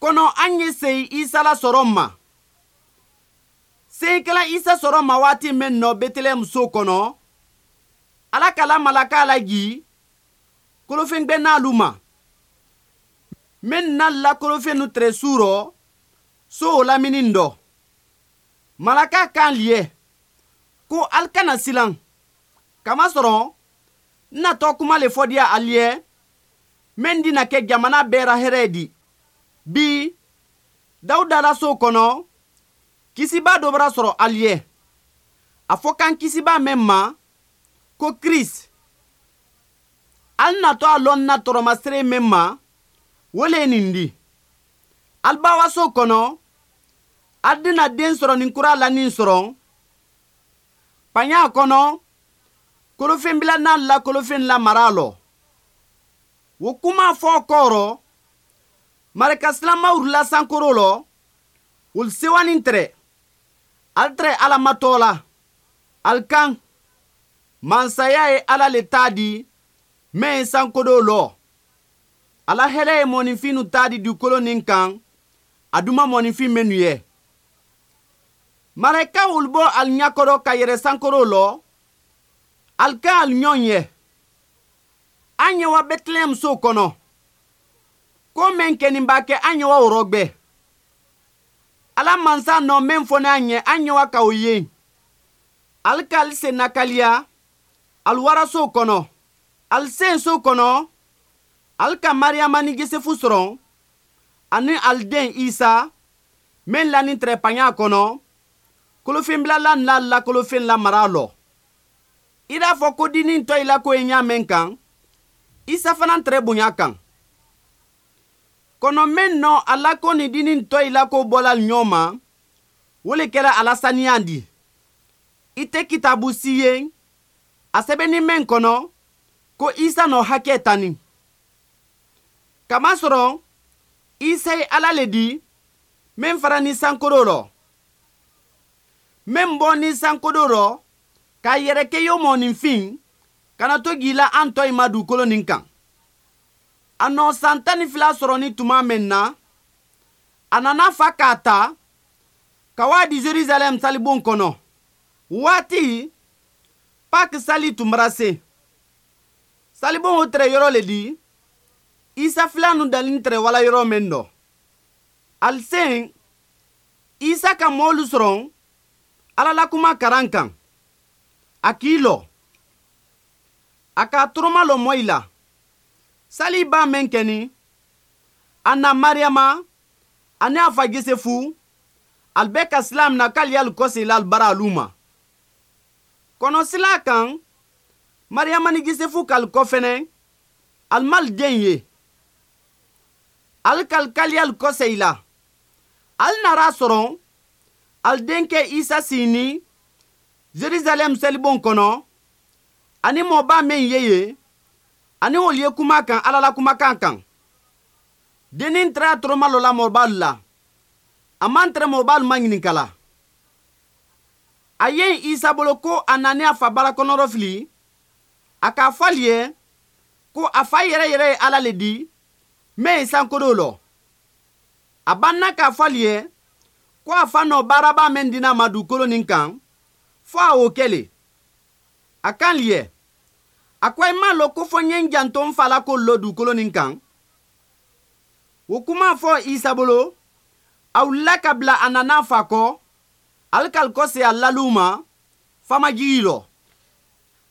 Kɔnɔ an ye seyi Isa la sɔrɔ ma. Seyikɛla Isa sɔrɔ ma waati min nɔ Betelehɛm so kɔnɔ, Ala kala malaka lajii kolofɛngbɛnnalu ma. Min na la kolofɛnnu tɛrɛ su rɔ, so o lamini dɔ. Malaka kan liɛ ko al kana silan. Kamasɔrɔ n natɔ kuma le fɔ diya al ye min dina kɛ jamana bɛɛ ra hɛrɛ di. Bi Dawuda la so kɔnɔ kisiba dɔ bara sɔrɔ al ye. A fɔ kan kisiba min ma ko Krist. Al natɔ a lɔn na tɔrɔmasere min ma, o le ye nin di. Al bawa so kɔnɔ, al dina den sɔrɔ nin kura lanin sɔrɔ. Paɲa kɔnɔ, kolofɛnbila n'a la kolofɛn la mara lɔ. O kuma fɔ kɔrɔ, marika silamaw la sankoro lɔ, olu sewanin tɛrɛ. Al tɛrɛ Ala matɔ la. Al kan, mansaya ye Ala le ta di, min ye sankodo lɔ. Ala hɛrɛ ye mɔninfinnu ta di dugukolo nin kan, a duma mɔninfin minnu ye. Marakaw olu bɔ al ɲakɔrɔ ka yɛrɛ sankoro lɔ, al kan al ɲɔgɔn ye. An ye wa Bɛtilɛhɛm so kɔnɔ. Ko min kɛnin b'a kɛ an ye wa o rɔgbɛ. Ala mansa nɔ min fɔ n'an ye, an ye wa ka o ye. Al ka al sen nakaliya, al wara so kɔnɔ. Al sen so kɔnɔ, al ka Mariyama ni Josefu sɔrɔ, ani al den Isa, min lanin tɛrɛ paɲa kɔnɔ, kolofɛnbilala n'a la kolofɛn la mara lɔ. I b'a fɔ ko dinin tɔ i la ko ye ɲa min kan, Isa fana tɛrɛ bonya kan. Kɔnɔ min nɔ a la ko ni dinin tɔ i la ko bɔla ɲɔgɔn ma, o le kɛra a la saniya di. I tɛ kitabu si ye, a sɛbɛnni min kɔnɔ, ko Isa nɔ hakɛ tani. Kamasɔrɔ, Isa ye Ala le di, min fara ni sankolo rɔ. Min bɔ ni sankolo rɔ, k'a yɛrɛ kɛ yo mɔninfin, kana to k'i la an tɔ in ma dugukolo nin kan. A nɔ san 12 sɔrɔ ni tuma min na, a nana fa k'a ta, ka waa di Jerusalɛm salibon kɔnɔ. Waati, Pâques sali tun bara se. Salibon o tɛrɛ yɔrɔ le di, Isa filanu dalen tɛrɛ wala yɔrɔ min dɔ. Al sen, Isa ka mɔɔlu sɔrɔ Ala la kuma karan kan. A k'i lɔ. A k'a toroma lɔ mɔ i la. Sali ba min kɛni, a na Mariyama, ani a fa Josefu, al bɛɛ ka sila mina k'ale y'al kɔsegin la al bara alu ma. Kɔnɔ sila kan, Mariyama ni Josefu k'al kɔ fɛnɛ, al m'al den ye. Al k'al k'ale y'al kɔsegin la. Al nara sɔrɔ, al denkɛ Isa sini Jerusalɛm selibon kɔnɔ, ani mɔba min ye ye, ani olu ye kuma kan Ala la kumakan kan. Dennin tɛrɛ toroma lɔ la mɔbalu la. A man tɛrɛ mɔbalu ma ɲininka la. A ye Isa bolo ko a nani a fa bara kɔnɔrɔ fili, a k'a fɔ ale ye ko a fa yɛrɛ yɛrɛ ye Ala le di, min ye sankolo lɔ. A banna k'a fɔ ale ye ko a fa nɔ baaraba min dina ma dugukolo nin kan, fo a o kɛ le. A kan liɛ, a ko i m'a lɔn ko fɔ n ye n janto n fa la ko lɔ dugukolo nin kan. O kuma fɔ Isa bolo, a wulila ka bila a nana fa kɔ, ale k'al kɔse a laliw ma, famajigi lɔ.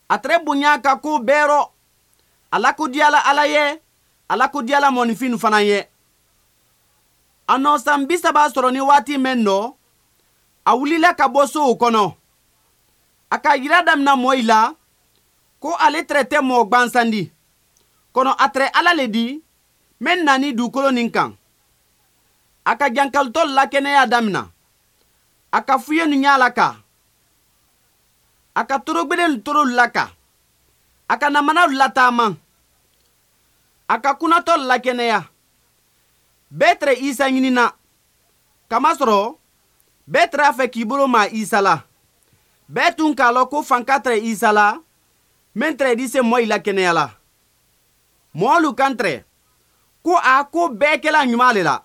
A tɛrɛ bonya ka ko bɛɛ rɔ, a lakodiyala Ala ye, a lakodiyala mɔninfin fana ye. A nɔ san 30 sɔrɔ ni waati min nɔ, a wulila ka bɔ sow kɔnɔ. A ka yira damina mɔ i la, ko ale tɛrɛ tɛ mɔgɔ gwansan di. Kɔnɔ a tɛrɛ Ala le di, min nani dugukolo nin kan. A ka jankalitɔ lakɛnɛya damina. A ka fuye nu ɲa la ka. A ka torogbelen toro la ka. A ka namanaw lataama. A ka kunatɔ lakɛnɛya. Bɛɛ tɛrɛ Isa ɲinina. Kamasɔrɔ, bɛɛ tɛrɛ a fɛ k'i bolo ma Isa la. Bɛɛ tun k'a lɔn ko fanka tɛrɛ Isa la, min tɛrɛ di se mɔ i la kɛnɛya la. Mɔɔlu kan tɛrɛ, ko a ko bɛɛ kɛla ɲuman le la.